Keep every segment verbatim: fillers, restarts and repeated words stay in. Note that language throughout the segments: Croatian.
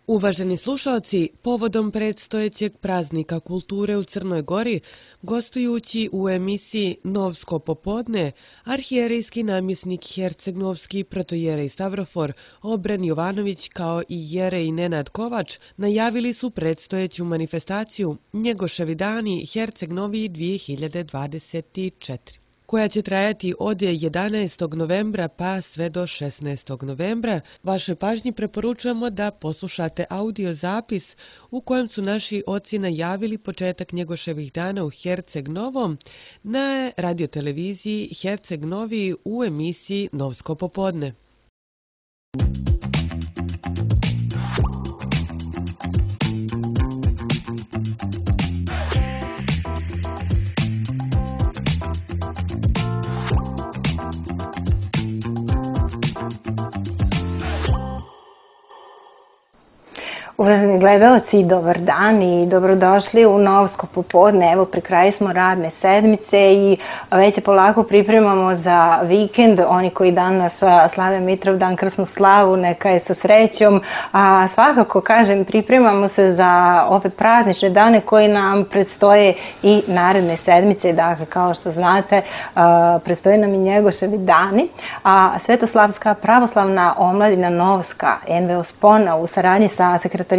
Uvaženi slušalci, povodom predstojećeg praznika kulture u Crnoj Gori, gostujući u emisiji Novsko popodne, arhijerejski namjesnik Herceg-Novski protojerej Stavrofor Obren Jovanović kao i jerej Nenad Kovač najavili su predstojeću manifestaciju Njegoševi dani Herceg-Novi dvije hiljade dvadeset četiri. koja će trajati od jedanaestog novembra pa sve do šesnaestog novembra. Vašoj pažnji preporučujemo da poslušate audio zapis u kojem su naši oci najavili početak Njegoševih dana u Herceg Novom na radioteleviziji Herceg Novi u emisiji Novsko popodne. Uvaženi gledalci, dobar dan i dobrodošli u Novsko popodne. Evo, pri kraju smo radne sedmice i već se polako pripremamo za vikend. Oni koji danas slave Mitrovdan, krsnu slavu, neka je sa srećom. A svakako, kažem, pripremamo se za ove praznične dane koji nam predstoje i naredne sedmice. Dakle, kao što znate, predstoje nam i Njegoševi dani. A Svetoslavska pravoslavna omladina Novska, en ve o Spona, u saradnji sa sekretarijatom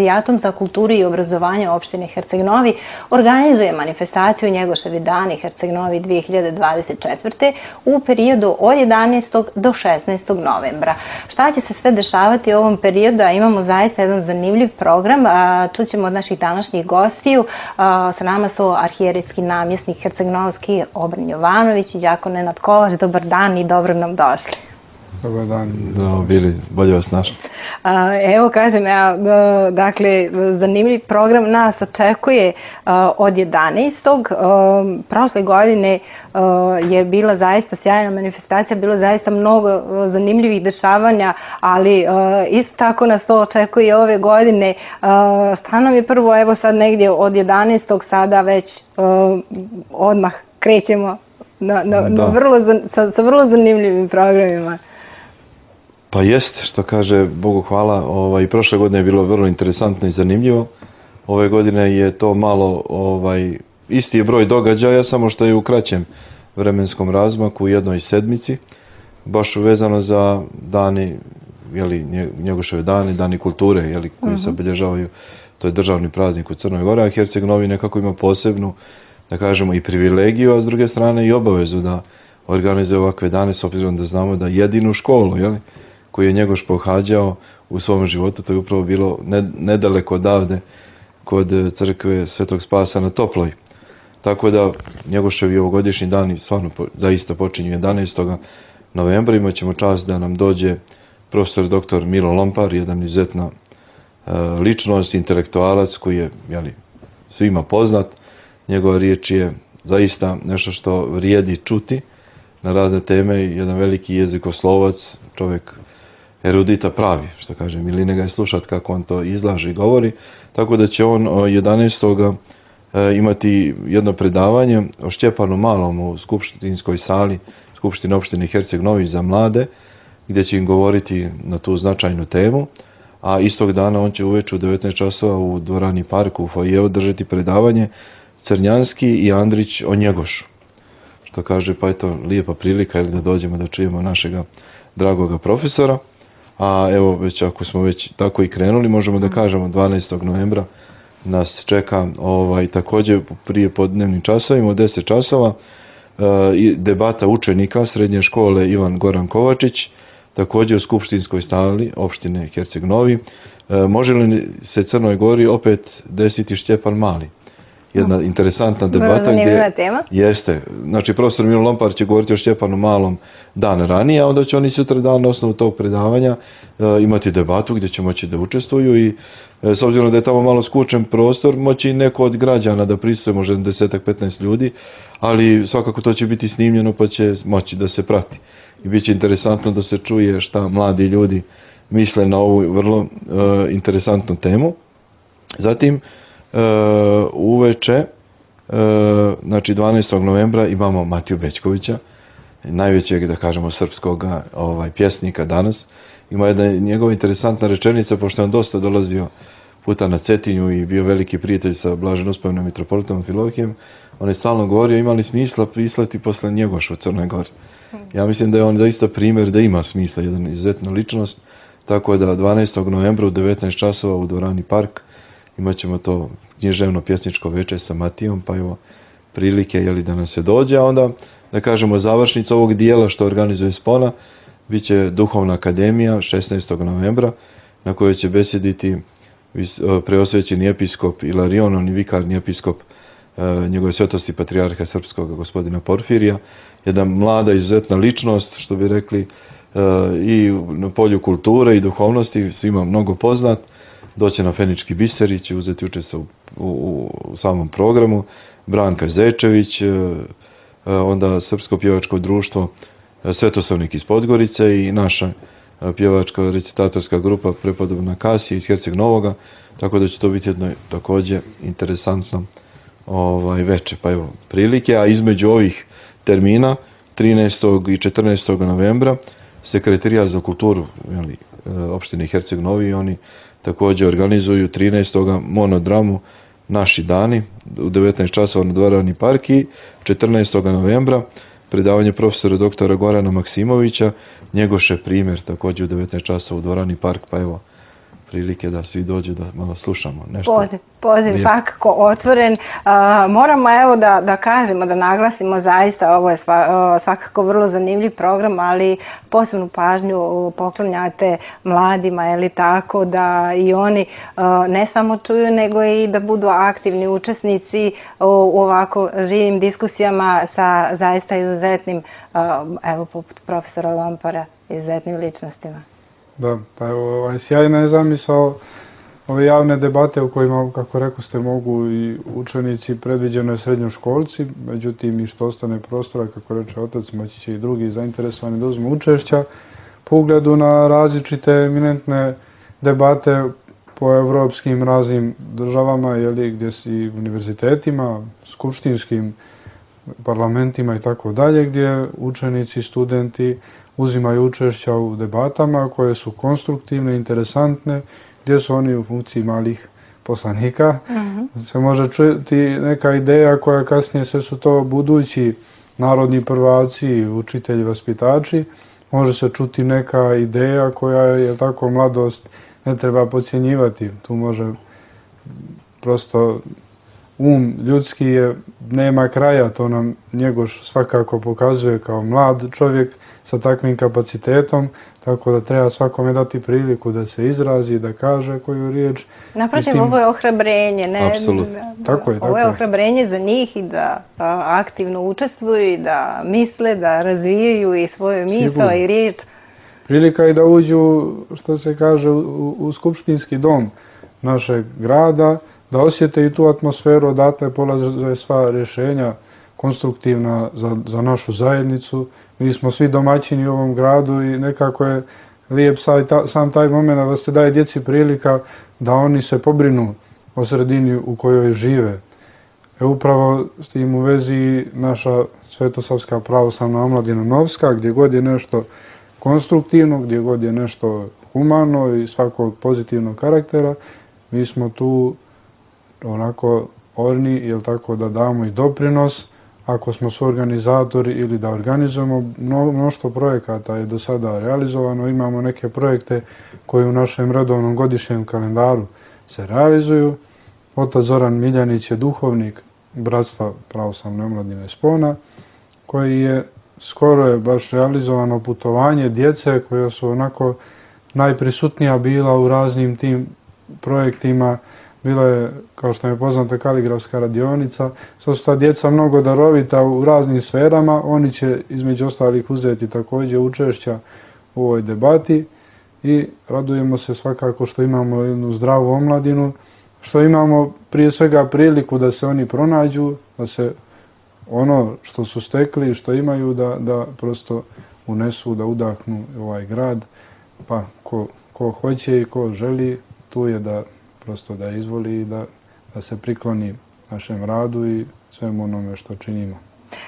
za kulturu i obrazovanje opštine Herceg Novi organizuje manifestaciju Njegoševi dani Herceg Novi dvije hiljade dvadeset četvrte. u periodu od jedanaestog do šesnaestog novembra. Šta će se sve dešavati u ovom periodu? Imamo zaista jedan zanimljiv program. Čućemo od naših današnjih gostiju. Sa nama su arhijerejski namjesnik Herceg-Novski Obren Jovanović i đakon Nenad Kovač. Dobar dan i dobro nam došli. Dobar dan. Da, bili, bolje vas našli. Evo, kažem, ja, dakle, zanimljiv program nas očekuje od jedanaestog Prošle godine je bila zaista sjajna manifestacija, bilo zaista mnogo zanimljivih dešavanja, ali isto tako nas to očekuje ove godine. Šta nam je prvo, evo sad negdje od jedanaestog sada već odmah krećemo na, na, na vrlo, sa, sa vrlo zanimljivim programima. Pa jest, što kaže, Bogu hvala, ovaj, prošle godine je bilo vrlo interesantno i zanimljivo. Ove godine je to malo, ovaj, isti je broj događaja, samo što je u kraćem vremenskom razmaku u jednoj sedmici, baš uvezano za dani, jeli, Njegoševe dani, dani kulture, jeli, koji se obilježavaju, to je državni praznik u Crnoj Gori, a Herceg Novi nekako ima posebnu, da kažemo, i privilegiju, a s druge strane i obavezu da organizuje ovakve dane, s obzirom da znamo da jedinu školu, jeli, koju je Njegoš pohađao u svom životu, to je upravo bilo nedaleko odavde kod crkve Svetog Spasa na Toploj. Tako da Njegoševi ovogodišnji dani stvarno zaista počinju jedanaestog novembra. Imat ćemo čast da nam dođe profesor doktor Milo Lompar, jedan izuzetna ličnost, intelektualac koji je, jeli, svima poznat. Njegova riječ je zaista nešto što vrijedi čuti na razne teme, jedan veliki jezikoslovac, čovjek erudita pravi, što kaže, miline ga je slušati kako on to izlaže i govori, tako da će on jedanaestog imati jedno predavanje o Štjepanu Malom u skupštinskoj sali Skupštine opštine Herceg Novi za mlade, gdje će im govoriti na tu značajnu temu, a istog dana on će uveče u devetnaest časova u dvorani Parku u foajeu držati predavanje Crnjanski i Andrić o Njegošu. Što kaže, pa eto, lijepa prilika da dođemo da čujemo našega dragoga profesora. A evo, već ako smo već tako i krenuli, možemo da kažemo dvanaestog novembra nas čeka ovaj, također prije podnevnim časovima, od deset časova, e, debata učenika srednje škole Ivan Goran Kovačić, također u skupštinskoj sali opštine Herceg Novi. E, može li se Crnoj Gori opet desiti Štjepan Mali? Jedna uh, interesantna debata gdje tema. Jeste, znači profesor Milo Lompar će govoriti o Štjepanu Malom dan ranije, a onda će oni sutra dan na osnovu tog predavanja e, imati debatu gdje će moći da učestvuju i e, s obzirom da je tamo malo skučen prostor, moći neko od građana da prisutuje, možda deset do petnaest ljudi, ali svakako to će biti snimljeno pa će moći da se prati. I bit će interesantno da se čuje šta mladi ljudi misle na ovu vrlo e, interesantnu temu. Zatim, Uh, uveče, uh, znači dvanaestog novembra imamo Matiju Bećkovića, najvećeg, da kažemo, srpskog ovaj, pjesnika danas. Ima jedna njegova interesantna rečenica, pošto je on dosta dolazio puta na Cetinju i bio veliki prijatelj sa blaženospevnim mitropolitom Filohijem, on je stalno govorio ima li smisla prislati posle Njegoša u Crnoj Gori. Ja mislim da je on zaista primjer da ima smisla, jedan izuzetna ličnost, tako da dvanaestog novembra u devetnaest časova u dvorani Park imat ćemo to književno pjesničko večer sa Matijom, pa evo prilike jeli, da nam se dođe, a onda da kažemo završnica ovog dijela što organizuje Spona, bit će Duhovna akademija šesnaestog novembra na kojoj će besjediti preosvećeni episkop Ilarion, on i vikarni episkop njegove svetosti patrijarha srpskog gospodina Porfirija, jedna mlada izuzetna ličnost, što bi rekli, i na polju kulture i duhovnosti, svima mnogo poznat, doće na Fenički biser i će uzeti učešće u, u, u samom programu, Branka Zečević, onda Srpsko pjevačko društvo Svetosavnik iz Podgorice i naša pjevačka recitatorska grupa prepodobna Kasija iz Herceg Novoga, tako da će to biti jedno također interesantno ovaj, veče. Pa evo, prilike, a između ovih termina, trinaestog i četrnaestog novembra, Sekretarijat za kulturu jeli, opštine Herceg Novi, oni također organizuju trinaestog monodramu Naši dani u devetnaest časova na dvorani Park i četrnaestog novembra predavanje profesora doktora Gorana Maksimovića, Njegoše primjer, također u devetnaest časova u dvorani Park, pa evo prilike da svi dođu da malo slušamo nešto. Poziv, poziv svakako otvoren. Uh, moramo evo da, da kažemo, da naglasimo zaista, ovo je sva, uh, svakako vrlo zanimljiv program, ali posebnu pažnju poklonjate mladima, je li tako, da i oni uh, ne samo čuju, nego i da budu aktivni učesnici u, u ovako živim diskusijama sa zaista izuzetnim, uh, evo poput profesora Lompara, izuzetnim ličnostima. Da, pa evo, ovaj, sjajna je zamisao ove javne debate u kojima, kako rekao ste, mogu i učenici, predviđeno je srednjoškolci, međutim i što ostane prostora, kako reče otac, moći će i drugi zainteresovani da uzmu učešća po ugledu na različite eminentne debate po evropskim raznim državama, jeli, gdje si univerzitetima, skupštinskim parlamentima i tako dalje, gdje učenici, studenti uzimaju učešća u debatama koje su konstruktivne, interesantne, gdje su oni u funkciji malih poslanika. Uh-huh. Se može čuti neka ideja koja kasnije sve su to budući narodni prvaci, učitelji, vaspitači. Može se čuti neka ideja koja je tako mladost ne treba podcjenjivati. Tu može prosto um ljudski je, nema kraja, to nam Njegoš svakako pokazuje kao mlad čovjek sa takvim kapacitetom, tako da treba svakome dati priliku da se izrazi, da kaže koju riječ. Naprotiv, ovo je ohrabrenje, ne? Apsolutno. Tako je, ovo je ohrabrenje za njih i da a, aktivno učestvuju i da misle, da razvijaju i svoju misao i riječ. Prilika je da uđu, što se kaže, u, u skupštinski dom našeg grada, da osjete i tu atmosferu, odatle polaze sva rješenja konstruktivna za, za našu zajednicu. Mi smo svi domaćini u ovom gradu i nekako je lijep sam taj moment da se daje djeci prilika da oni se pobrinu o sredini u kojoj žive. E upravo s tim u vezi naša Svetosavska pravoslavna omladina Novska, gdje god je nešto konstruktivno, gdje god je nešto humano i svakog pozitivnog karaktera, mi smo tu onako orni, jel tako, da damo i doprinos. Ako smo su organizatori ili da organizujemo, mnoštvo projekata je do sada realizovano. Imamo neke projekte koji u našem redovnom godišnjem kalendaru se realizuju. Otac Zoran Miljanić je duhovnik Bratstva pravoslavne omladine Spona, koji je skoro je baš realizovano putovanje djece koja su onako najprisutnija bila u raznim tim projektima. Bila je, kao što je poznata, kaligrafska radionica. Sad su ta djeca mnogo darovita u raznim sferama. Oni će između ostalih uzeti također učešća u ovoj debati i radujemo se svakako što imamo jednu zdravu omladinu, što imamo prije svega priliku da se oni pronađu, da se ono što su stekli, što imaju, da, da prosto unesu, da udahnu ovaj grad. Pa ko, ko hoće i ko želi, tu je da prosto da izvoli i da, da se prikloni našem radu i svemu onome što činimo.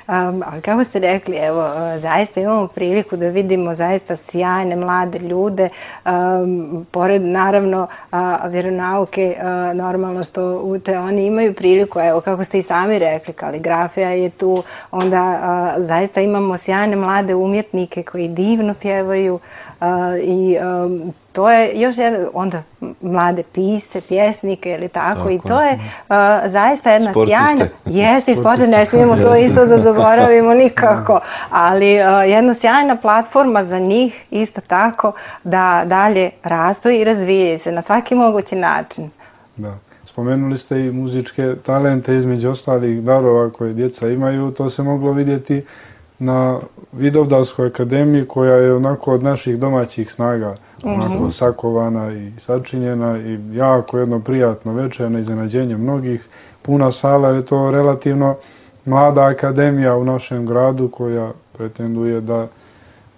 Um, ali kako ste rekli, evo, zaista imamo priliku da vidimo zaista sjajne mlade ljude, um, pored naravno a, vjeronauke, a, normalno što u te oni imaju priliku, evo kako ste i sami rekli, kaligrafija je tu, onda a, zaista imamo sjajne mlade umjetnike koji divno pjevaju. Uh, i um, to je još jedan, onda mlade pisce, pjesnike ili tako, tako i to je uh, zaista jedna sjajna, jeste, sportiste, ne smijemo to isto da zaboravimo nikako, ali uh, jedna sjajna platforma za njih isto tako da dalje rastu i razvijaju se na svaki mogući način. Da. Spomenuli ste i muzičke talente, između ostalih darova koje djeca imaju, to se moglo vidjeti na Vidovdanskoj akademiji koja je onako od naših domaćih snaga onako mm-hmm. sakovana i sačinjena i jako jedno prijatno večer na iznenađenje mnogih. Puna sala je to relativno mlada akademija u našem gradu koja pretenduje da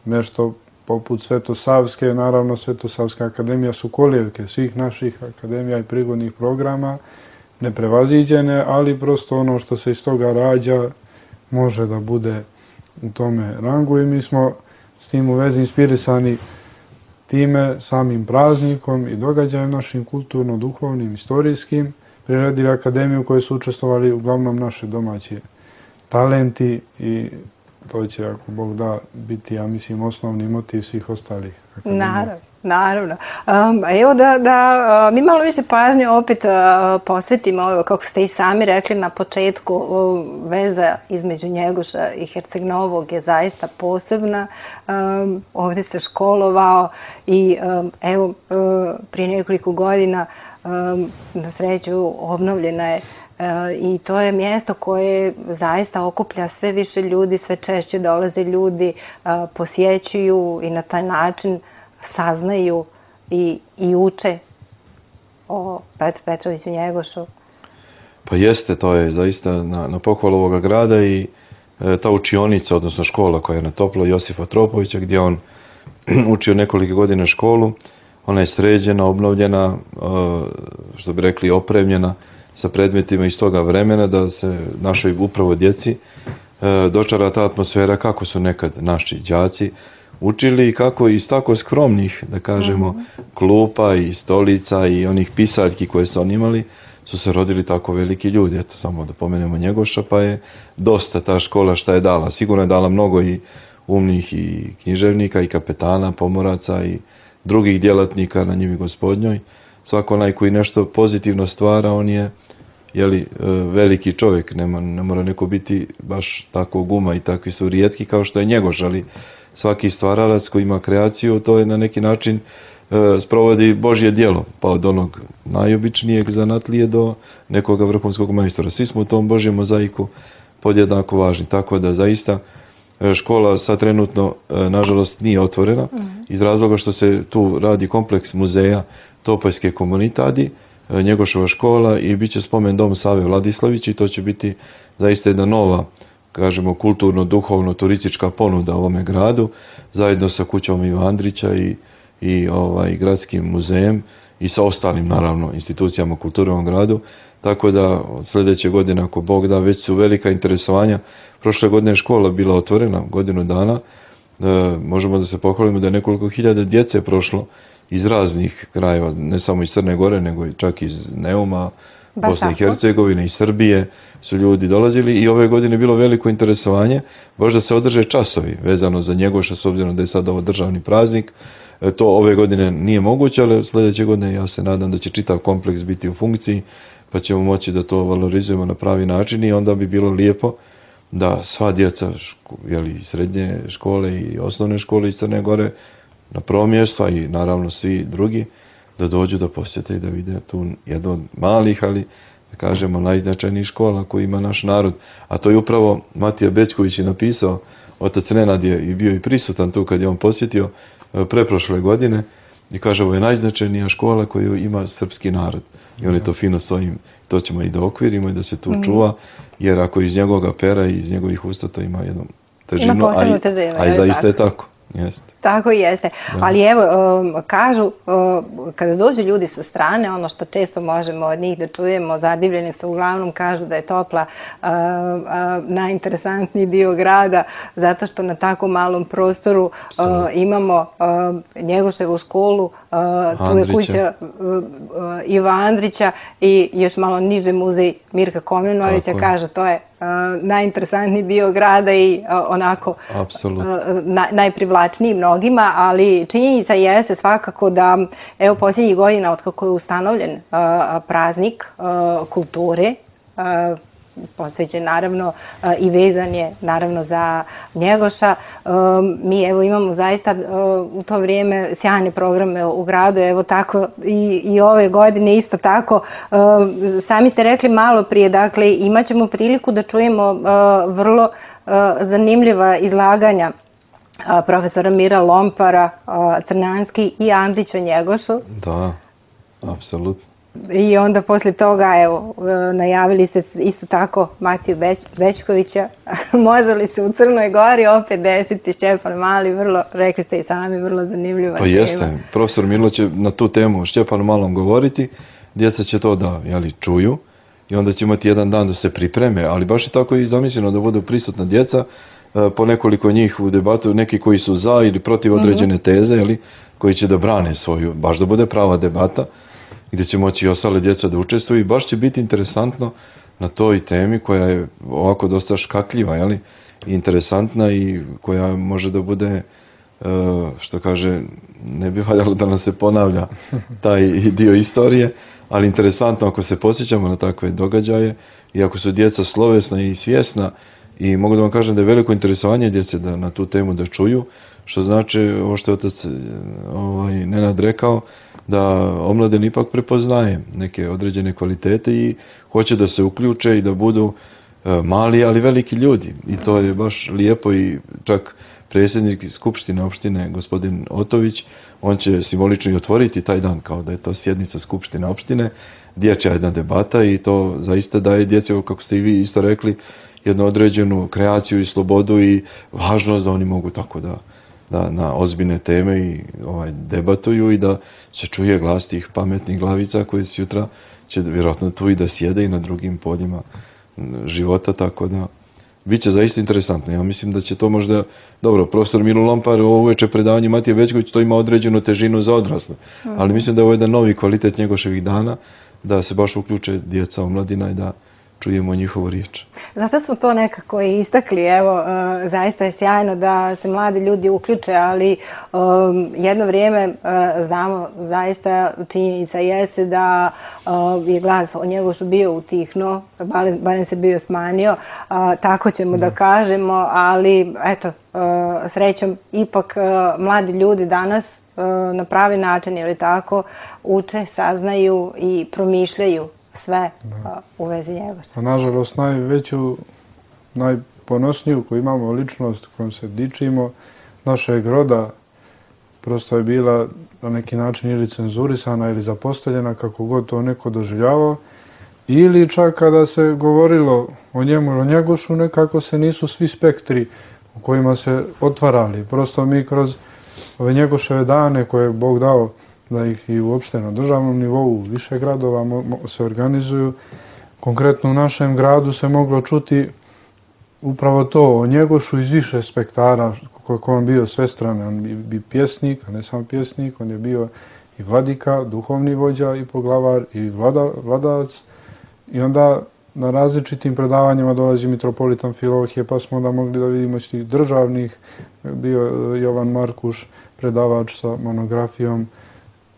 nešto poput Svetosavske, naravno Svetosavska akademija su kolijevke svih naših akademija i prigodnih programa, neprevaziđene, ali prosto ono što se iz toga rađa može da bude u tome rangu i mi smo s tim u vezi inspirisani time, samim praznikom i događajem našim kulturno-duhovnim, istorijskim, priredili akademiju u kojoj su učestvovali uglavnom naše domaće talenti i to će, ako Bog da, biti, ja mislim, osnovni motiv svih ostalih akademija. Naravno, naravno. Um, evo da, da mi malo više pažnje opet uh, posvetimo ovo, kako ste i sami rekli na početku, uh, veza između Njegoša i Herceg Novog je zaista posebna. Um, ovdje se školovao i um, evo uh, prije nekoliko godina um, na sreću obnovljena je. E, i to je mjesto koje zaista okuplja sve više ljudi, sve češće dolaze ljudi, e, posjećuju i na taj način saznaju i, i uče o Petru Petroviću Njegošu. Pa jeste, to je zaista na, na pohvalu ovoga grada i e, ta učionica, odnosno škola koja je na Toplo Josifa Tropovića, gdje on učio nekoliko godina školu, ona je sređena, obnovljena, e, što bi rekli opremljena sa predmetima iz toga vremena, da se našoj upravo djeci e, dočara ta atmosfera kako su nekad naši đaci učili i kako iz tako skromnih, da kažemo, mm-hmm. klupa i stolica i onih pisaljki koje su oni imali, su se rodili tako veliki ljudi. Eto, samo da pomenemo Njegoša, pa je dosta ta škola šta je dala. Sigurno je dala mnogo i umnih i književnika i kapetana, pomoraca i drugih djelatnika na njivi Gospodnjoj. Svako onaj koji nešto pozitivno stvara, on je jeli, veliki čovjek, ne, ne mora neko biti baš tako guma i takvi su rijetki kao što je Njegoš, ali svaki stvaralac koji ima kreaciju, to je na neki način e, sprovodi Božje djelo, pa od onog najobičnijeg zanatlije do nekoga vrhunskog majstora. Svi smo u tom Božjem mozaiku podjednako važni, tako da zaista škola sad trenutno, e, nažalost, nije otvorena, mm-hmm. iz razloga što se tu radi kompleks muzeja Topoljske komunitadi, Njegošova škola i bit će spomen dom Save Vladislavić i to će biti zaista jedna nova, kažemo, kulturno-duhovno-turistička ponuda ovome gradu, zajedno sa kućom Iva Andrića i, i ovaj, gradskim muzejem i sa ostalim, naravno, institucijama kulture u ovom gradu, tako da sljedeće godine, ako Bog da, već su velika interesovanja. Prošle godine je škola bila otvorena, godinu dana, e, možemo da se pohvalimo da je nekoliko hiljada djece prošlo iz raznih krajeva, ne samo iz Crne Gore, nego čak iz Neuma, ba, Bosne i Hercegovine i Srbije su ljudi dolazili i ove godine je bilo veliko interesovanje, baš da se održe časovi vezano za Njegoša, s obzirom da je sad ovo državni praznik. E, to ove godine nije moguće, ali sljedeće godine ja se nadam da će čitav kompleks biti u funkciji, pa ćemo moći da to valorizujemo na pravi način i onda bi bilo lijepo da sva djeca, ško, jeli, srednje škole i osnovne škole iz Crne Gore, na prvo mjesto i naravno svi drugi, da dođu da posjete i da vide tu jednu od malih, ali da kažemo najznačajnijih škola koji ima naš narod. A to je upravo Matija Bećković je napisao, otac Nenad je i bio i prisutan tu kad je on posjetio preprošle godine i kaže ovo je najznačajnija škola koju ima srpski narod. I on je to fino s ovim, to ćemo i da okvirimo i da se tu mm. čuva, jer ako iz njegovog pera i iz njegovih usta to ima jednu težinu, a, i, a i zaista je tako. Jeste. Tako jeste. Da. Ali evo, um, kažu, um, kada dođu ljudi sa strane, ono što često možemo od njih da čujemo, zadivljeni su, uglavnom kažu da je Topla uh, uh, najinteresantniji dio grada, zato što na tako malom prostoru uh, imamo uh, Njegoševu školu, uh, tu je kuća uh, uh, Iva Andrića i još malo niže muzej Mirka Komnenovića. Kaže, to je uh, najinteresantniji dio grada i uh, onako uh, na, najprivlačniji mnogima, ali činjenica jeste svakako da evo posljednjih godina od kako je ustanovljen uh, praznik uh, kulture, uh, posvećen naravno uh, i vezan je naravno za Njegoša. Um, mi evo imamo zaista uh, u to vrijeme sjajne programe u gradu, evo tako i, i ove godine isto tako. Uh, sami ste rekli malo prije, dakle imat ćemo priliku da čujemo uh, vrlo uh, zanimljiva izlaganja uh, profesora Mira Lompara, uh, Crnjanski i Andrića Njegošu. Da, apsolutno. I onda poslije toga, evo, najavili se isto tako Matiju Beć, Bečkovića. Može li se u Crnoj Gori opet desiti Šćepan Mali, vrlo, rekli ste i sami, vrlo zanimljiva pa tema. Jeste, profesor Milo će na tu temu o Šćepanu Malom govoriti, djeca će to da jeli, čuju i onda će imati jedan dan da se pripreme, ali baš je tako i zamišljeno da budu prisutna djeca, po nekoliko njih u debatu, neki koji su za ili protiv određene teze, jeli, koji će da brane svoju, baš da bude prava debata, gdje će moći i ostale djeca da učestvuju i baš će biti interesantno na toj temi koja je ovako dosta škakljiva, jeli, interesantna i koja može da bude, što kaže, ne bi valjalo da nam se ponavlja taj dio istorije, ali interesantno ako se posjećamo na takve događaje i ako su djeca slovesna i svjesna i mogu da vam kažem da je veliko interesovanje djece da na tu temu da čuju, što znači, ovo što je otac ovaj, Nenad rekao, da omladina ipak prepoznaje neke određene kvalitete i hoće da se uključe i da budu e, mali, ali veliki ljudi. I to je baš lijepo i čak predsjednik Skupštine opštine, gospodin Otović, on će simbolično i otvoriti taj dan kao da je to sjednica Skupštine opštine, dječja jedna debata i to zaista daje djeci, kako ste i vi isto rekli, jednu određenu kreaciju i slobodu i važnost da oni mogu tako da, da na ozbiljne teme i ovaj, debatuju i da se čuje glas tih pametnih glavica koji sutra će vjerojatno tu i da sjede i na drugim poljima života, tako da bit će zaista interesantno. Ja mislim da će to možda, dobro, profesor Milo Lompar ovo uveče predavanje Matije Bečković, to ima određenu težinu za odrasle, ali mislim da je ovo jedan novi kvalitet njegoševih dana, da se baš uključe djeca, omladina i da čujemo njihovu riječ. Zato smo to nekako i istakli, evo, uh, zaista je sjajno da se mladi ljudi uključe, ali um, jedno vrijeme uh, znamo, zaista činjenica jeste da uh, je glas o Njegošu bio utihnuo, barem, barem se bio smanjio, uh, tako ćemo da. da kažemo, ali eto, uh, srećom, ipak uh, mladi ljudi danas uh, na pravi način, ili tako, uče, saznaju i promišljaju sve da. u vezi Njegoša. A nažalost najveću, najponosniju koju imamo ličnost kojom se dičimo našeg roda prosto je bila na neki način ili cenzurisana ili zapostavljena, kako god to neko doživljavao, ili čak kada se govorilo o njemu o Njegošu, nekako se nisu svi spektri u kojima se otvarali. Prosto mi kroz ove Njegoševe dane koje je Bog dao da ih i uopšte na državnom nivou više gradova se organizuju. Konkretno u našem gradu se moglo čuti upravo to o Njegošu iz više spektara, kako on bio svestrane. On bi, bi pjesnik, a ne samo pjesnik, on je bio i vladika, duhovni vođa i poglavar i vlada, vladavac. I onda na različitim predavanjima dolazi mitropolitan Filohije, pa smo onda mogli da vidimo iz tih državnih, bio Jovan Markuš, predavač sa monografijom,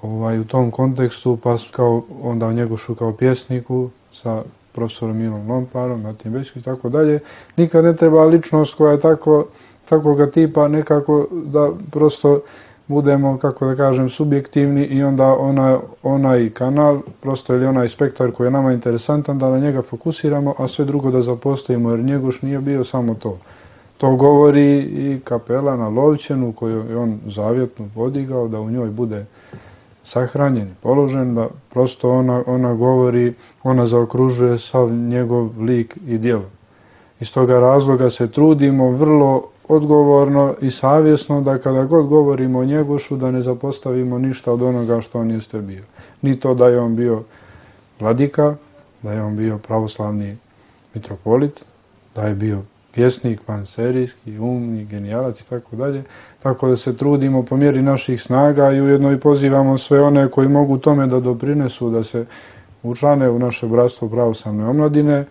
ovaj, u tom kontekstu, pa kao onda o Njegošu kao pjesniku sa profesorom Milom Lomparom, Matijem Bečković i tako dalje. Nikad ne treba ličnost koja je tako, takvoga tipa nekako da prosto budemo, kako da kažem, subjektivni i onda ona, onaj kanal, prosto ili onaj spektar koji je nama interesantan, da na njega fokusiramo, a sve drugo da zapostavimo, jer Njegoš nije bio samo to. To govori i kapela na Lovćenu koju je on zavjetno podigao, da u njoj bude sahranjen i položen, da prosto ona, ona govori, ona zaokružuje sav njegov lik i djelo. Iz toga razloga se trudimo vrlo odgovorno i savjesno da kada god govorimo o Njegošu da ne zapostavimo ništa od onoga što on jeste bio. Ni to da je on bio vladika, da je on bio pravoslavni mitropolit, da je bio pjesnik, panserijski, umni, genijalac i tako dalje. Tako da se trudimo po mjeri naših snaga i ujedno i pozivamo sve one koji mogu tome da doprinesu, da se učlane u naše bratstvo pravoslavne omladine,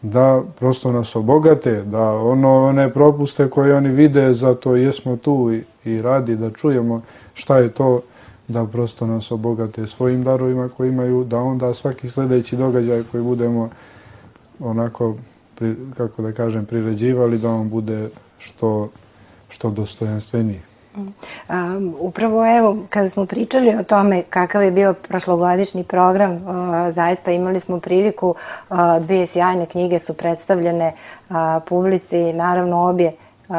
da prosto nas obogate, da ono, one propuste koje oni vide, zato jesmo tu i, i radi da čujemo šta je to, da prosto nas obogate svojim darovima koji imaju, da onda svaki sljedeći događaj koji budemo onako, pri, kako da kažem, priređivali, da on bude što, što dostojanstveniji. Um, upravo evo, kada smo pričali o tome kakav je bio prošlogodišnji program, uh, zaista imali smo priliku, uh, dvije sjajne knjige su predstavljene uh, publici, naravno obje uh,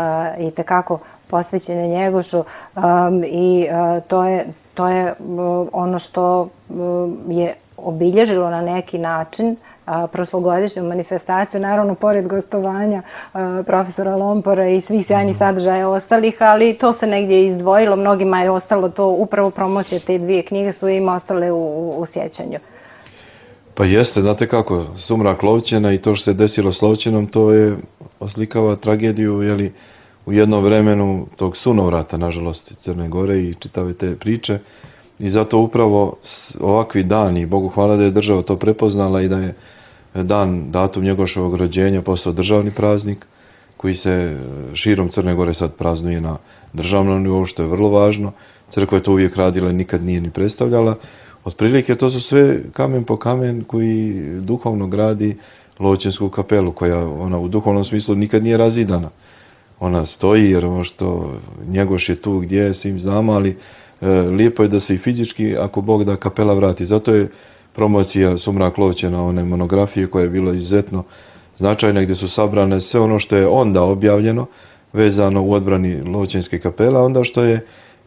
i tekako posvećene Njegošu um, i uh, to je, to je uh, ono što uh, je obilježilo na neki način prošlogodišnju manifestaciju, naravno pored gostovanja profesora Lompora i svih sjajnih sadržaja ostalih, ali to se negdje izdvojilo, mnogima je ostalo to, upravo promocije te dvije knjige su im ostale u, u, u sjećanju. Pa jeste, znate kako, sumrak Lovćena i to što se desilo s Lovćenom, to je oslikava tragediju, jeli, u jednom vremenu tog sunovrata, nažalost, Crne Gore i čitave te priče. I zato upravo ovakvi dani, Bogu hvala da je država to prepoznala i da je dan, datum Njegoševog rođenja postao državni praznik koji se širom Crne Gore sad praznuje na državnom nivou, što je vrlo važno. Crkva je to uvijek radila i nikad nije ni predstavljala. Otprilike to su sve kamen po kamen koji duhovno gradi Lovćensku kapelu, koja ona u duhovnom smislu nikad nije razidana. Ona stoji jer ono što Njegoš je tu gdje je, svim znamo, ali e, lijepo je da se i fizički, ako Bog da, kapela vrati. Zato je promocija Sumrak Lovćena, one monografije koja je bila izuzetno značajna, gdje su sabrane sve ono što je onda objavljeno vezano u odbrani Lovćenske kapele, onda što je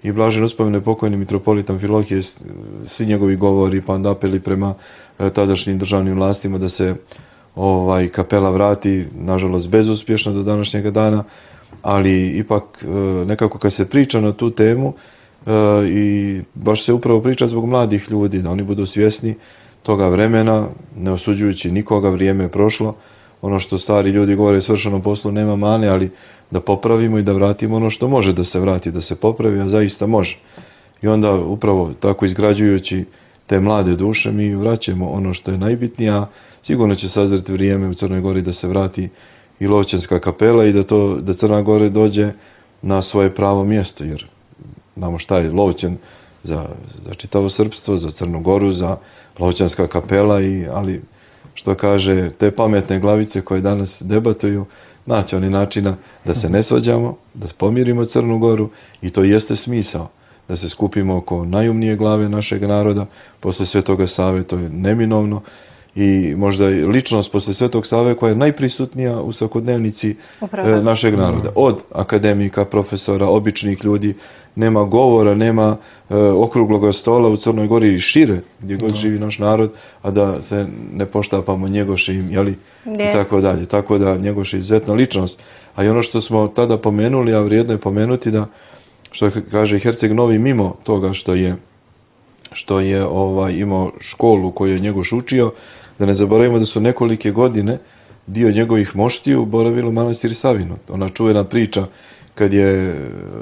i blažen uspomene pokojni mitropolit Amfilohije, svi njegovi govori pa onda apeli prema tadašnjim državnim vlastima da se ovaj kapela vrati, nažalost bezuspješno do današnjega dana, ali ipak nekako kad se priča na tu temu i baš se upravo priča zbog mladih ljudi, da oni budu svjesni toga vremena, ne osuđujući nikoga, vrijeme je prošlo. Ono što stari ljudi govore, svršenom poslu nema mane, ali da popravimo i da vratimo ono što može da se vrati, da se popravi, a zaista može. I onda upravo tako izgrađujući te mlade duše mi vraćamo ono što je najbitnije, a sigurno će sazreti vrijeme u Crnoj Gori da se vrati i Lovćenska kapela i da, to, da Crna Gora dođe na svoje pravo mjesto, jer znamo šta je Lovćen za, za čitavo srpstvo, za Crnu Goru, za Lovćenska kapela, i, ali što kaže, te pametne glavice koje danas debatuju, naći oni načina da se ne svađamo, da pomirimo Crnu Goru, i to jeste smisao, da se skupimo oko najumnije glave našeg naroda, posle Svetoga Save, to je neminovno, i možda i ličnost posle Svetog Save koja je najprisutnija u svakodnevnici Upravo. našeg naroda. Od akademika, profesora, običnih ljudi, nema govora, nema e, okruglog stola u Crnoj Gori i šire, gdje god živi naš narod, a da se ne poštapamo Njegošim, jeli, yes. i tako dalje. Tako da Njegoš je izuzetna ličnost. A i ono što smo tada pomenuli, a vrijedno je pomenuti, da, što kaže Herceg Novi, mimo toga što je, što je ovaj, imao školu koju je Njegoš učio, da ne zaboravimo da su nekolike godine dio njegovih moštiju boravilo u manastiru Savinu. Ona čuvena priča kad je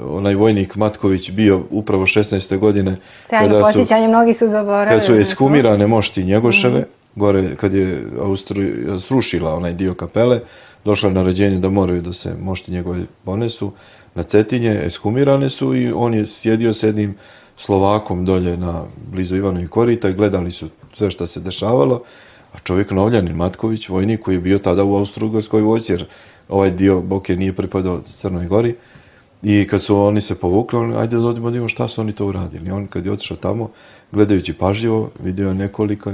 onaj vojnik Matković bio upravo šesnaeste godine, kada su, mnogi su zaboravili, kad su ekshumirane mošti Njegoševe, mm. gore kad je Austrija srušila onaj dio kapele, došla naređenje da moraju da se mošti njegove ponesu na Cetinje, ekshumirane su, i on je sjedio s jednim Slovakom dolje na blizu Ivanovi korita i gledali su sve što se dešavalo, a čovjek Novljanin Matković, vojnik koji je bio tada u Austro-Ugarskoj vojsci, jer ovaj dio Boke nije pripadao Crnoj Gori, i kad su oni se povukli, on, ajde da odimo da imamo šta su oni to uradili. I on kad je otišao tamo, gledajući pažljivo, vidio nekoliko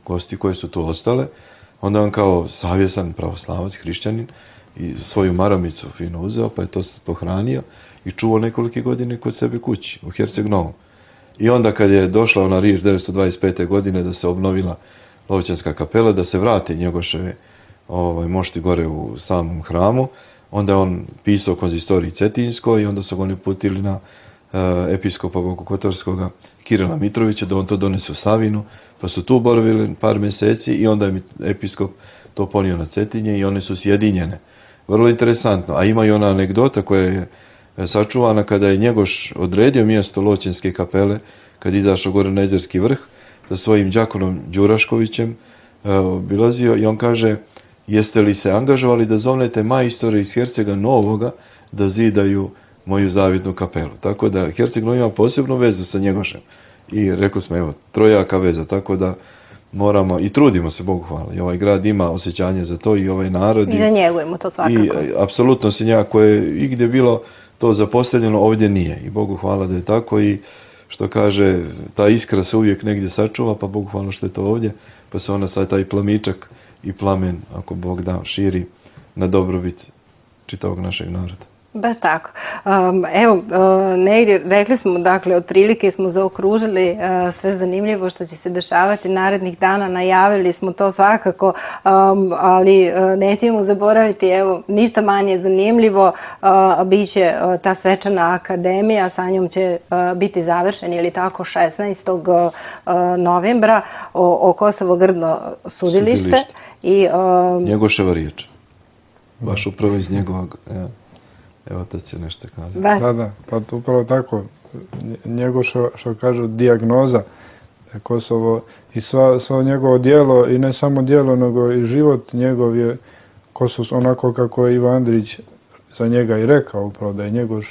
gosti koje su tu ostale, onda on kao savjesan pravoslavac, hrišćanin, i svoju maramicu fino uzeo, pa je to pohranio i čuvao nekolike godine kod sebe kući, u Herceg Novom. I onda kad je došla ona riječ devetsto dvadeset pete godine da se obnovila Lovćenska kapela, da se vrate Njegoševe ovaj, mošti gore u samom hramu, onda je on pisao konzistoriji Cetinskoj i onda su ga oni uputili na uh, episkopa Bokokotorskog Kirila Mitrovića da on to donese u Savinu, pa su tu boravili par mjeseci i onda je episkop to ponio na Cetinje i one su sjedinjene. Vrlo interesantno, a ima i ona anegdota koja je sačuvana kada je Njegoš odredio mjesto Loćenske kapele, kad je izašao gore na Jezerski vrh sa svojim đakonom Đuraškovićem, obilazio i on kaže: jeste li se angažovali da zovnete majstore iz Hercega Novoga da zidaju moju zavidnu kapelu. Tako da Herceg Novi ima posebnu vezu sa Njegošem. I rekao smo, evo, trojaka veza, tako da moramo i trudimo se, Bogu hvala. I ovaj grad ima osjećanje za to i ovaj narod. I da njegujemo to svakako. I apsolutno se njako je i gdje bilo to zapostavljeno, ovdje nije. I Bogu hvala da je tako i što kaže, ta iskra se uvijek negdje sačuva, pa Bogu hvala što je to ovdje, pa se ona sad taj plamičak i plamen, ako Bog da, širi na dobrobit čitavog našeg naroda. Baš tako. Um, evo, uh, negdje rekli smo, dakle, otprilike smo zaokružili uh, sve zanimljivo što će se dešavati narednih dana, najavili smo to svakako, um, ali uh, nećemo zaboraviti, evo, ništa manje zanimljivo, uh, bit će uh, ta svečana akademija, sa njom će uh, biti završen, ili tako, šesnaestog novembra o, o Kosovo-Grdno sudilište. Sudilište. I, um, Njegoševa riječ. Baš upravo iz njegovog... Ja. Evo to će nešto kazati. Da, da, pa to upravo tako. Njegov što, što kažu dijagnoza Kosovo i sva, sva njegovo djelo, i ne samo djelo, nego i život njegov je Kosovo, onako kako je Ivo Andrić za njega i rekao, upravo da je njegov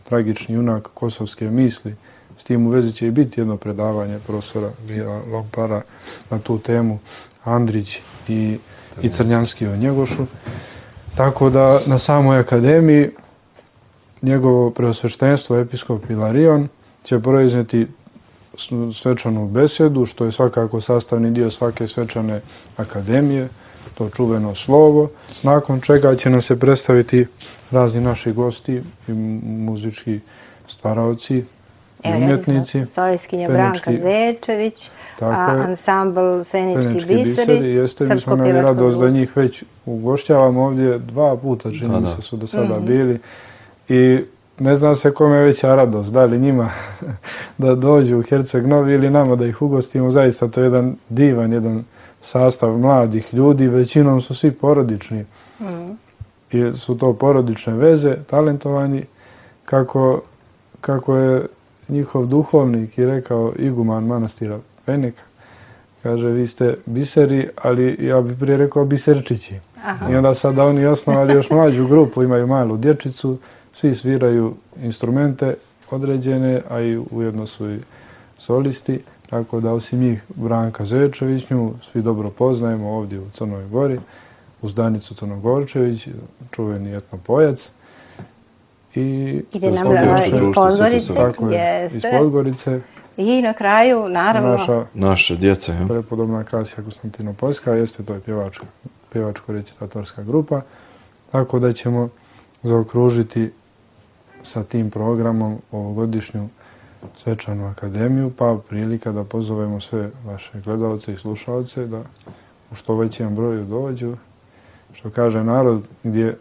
tragični junak kosovske misli. S tim u vezi će i biti jedno predavanje profesora Vila Lompara na tu temu, Andrić i, i Crnjanski o Njegošu. Tako da na samoj akademiji njegovo preosveštenstvo episkop Ilarion će proizneti svečanu besedu, što je svakako sastavni dio svake svečane akademije, to čuveno slovo, nakon čega će nam se predstaviti razni naši gosti i muzički stvaraoci i umjetnici. Solijskinja Branka Zečević, ansambl Senički biseri, jeste, mi smo imali radost da njih već ugošćavamo ovdje dva puta, čini se su do sada bili. I ne znam se kome je veća radost, da li njima da dođu u Herceg Novi ili nama da ih ugostimo. Zaista to je jedan divan, jedan sastav mladih ljudi, većinom su svi porodični. Mm. I su to porodične veze, talentovani, kako, kako je njihov duhovnik i rekao iguman manastira Penika. Kaže, vi ste biseri, ali ja bih prije rekao biserčići. Aha. I onda sada oni osnovali još mlađu grupu, imaju malu dječicu, svi sviraju instrumente određene, a i ujedno su i solisti, tako da osim njih Branka Zečević, nju svi dobro poznajemo ovdje u Crnoj Gori, uz Danicu Crnogorčević, čuveni etnopojac. I ide nam iz Podgorice. Tako je, iz Podgorice. I na kraju, naravno, naša, naša djeca. Ja. Prepodobna Kasija Konstantinopoljska, jeste to je pjevačka, pjevačko-recitatorska grupa, tako da ćemo zaokružiti sa tim programom ovogodišnju svečanu akademiju, pa prilika da pozovemo sve vaše gledalce i slušalce da u što većem broju dođu. Što kaže narod, gdje,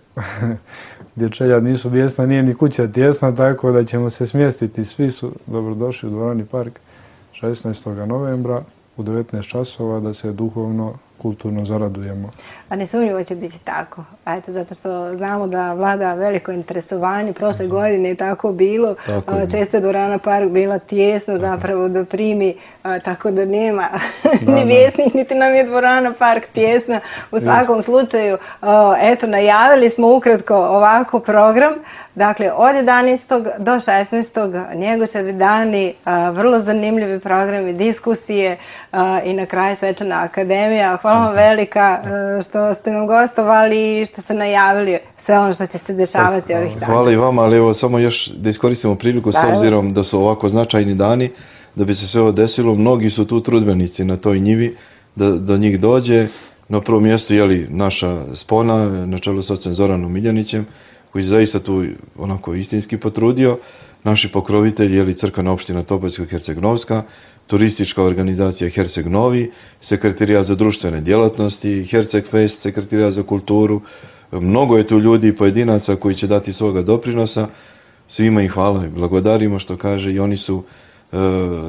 gdje čeljad nisu bijesna, nije ni kuća tjesna, tako da ćemo se smjestiti. Svi su dobrodošli u Dvorani Park šesnaestog novembra u devetnaest časova da se duhovno, kulturno zaradujemo. A nesumnjivo će biti tako. Eto, zato što znamo da vlada veliko interesovanje. Prošle godine je tako bilo. Tako često je Dvorana Park bila tijesna zapravo da primi, a, tako da nema da, ni vjesnik, niti nam je Dvorana Park tijesna. U svakom slučaju, a, eto, najavili smo ukratko ovako program. Dakle, od jedanaestog do šesnaestog Njegoševi dani, a, vrlo zanimljivi programi, diskusije a, i na kraju svečana akademija. Hvala vam velika a, što ste nam gostovali i što ste najavili sve ono što će se dešavati ovih dana. Hvala i vama, ali evo samo još da iskoristimo priliku da, s obzirom da su ovako značajni dani, da bi se sve ovo desilo. Mnogi su tu trudbenici na toj njivi, da do njih dođe. Na prvom mjestu je li naša spona, na čelu s ocem Zoranom Miljanićem, koji se zaista tu onako istinski potrudio. Naši pokrovitelji je li crkvena opština Topoljsko-Herceg-Novska, turistička organizacija Herceg Novi, sekretarijat za društvene djelatnosti, Herceg Fest, sekretarijat za kulturu, mnogo je tu ljudi i pojedinaca koji će dati svoga doprinosa, svima im hvala i blagodarimo što kaže i oni su e,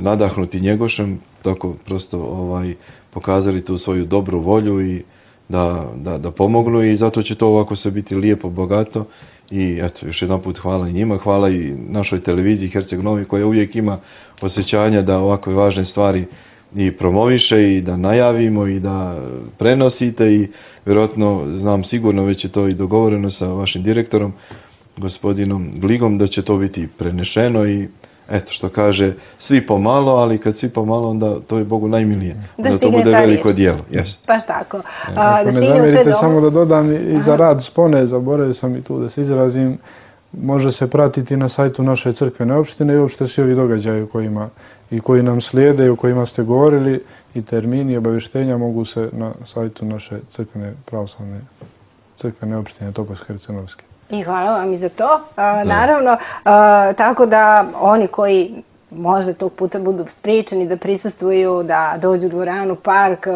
nadahnuti Njegošem, tako prosto ovaj, pokazali tu svoju dobru volju i da, da, da pomognu i zato će to ovako sve biti lijepo, bogato i eto, još jedan put hvala i njima, hvala i našoj televiziji Herceg Novi koja uvijek ima osjećanja da ovakve važne stvari i promoviše i da najavimo i da prenosite i vjerojatno znam sigurno već je to i dogovoreno sa vašim direktorom gospodinom Gligom da će to biti prenešeno i eto što kaže svi pomalo, ali kad svi pomalo onda to je Bogu najmilije. Da, da to bude veliko dijelo. Yes. Baš tako. A, Ako da ne zamjerite samo da dodam i Aha. za rad Spone, zaboravio sam i tu da se izrazim, može se pratiti na sajtu naše crkvene opštine i uopšte svi ovi događaji kojima, i koji nam slijede i o kojima ste govorili i termini i obavještenja mogu se na sajtu naše crkvene pravoslavne crkvene opštine Topovsko-Hercegovske. I hvala vam i za to. A, naravno, a, tako da oni koji možda tog puta budu spriječeni da prisustvuju, da dođu u dvoranu, park,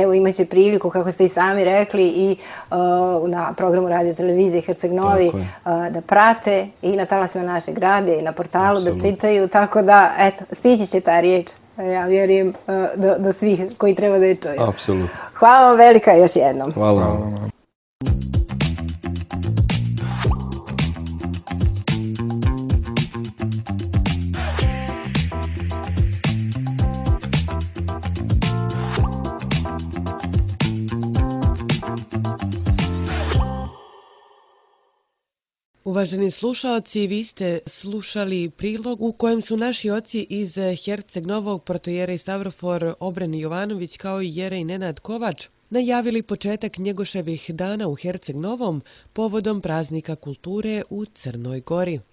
evo imaće priliku, kako ste i sami rekli, i uh, na programu radio televizije Herceg Novi uh, da prate i na talasima našeg grada i na portalu Absolut. Da čitaju, tako da, eto, stići će ta riječ, ja vjerujem, uh, do, do svih koji treba da je čuju. Apsolutno. Hvala vam velika još jednom. Hvala vam. Uvaženi slušalci, vi ste slušali prilog u kojem su naši oci iz Herceg Novog, protojerej Stavrofor Obreni Jovanović kao i jerej Nenad Kovač najavili početak Njegoševih dana u Herceg Novom povodom praznika kulture u Crnoj Gori.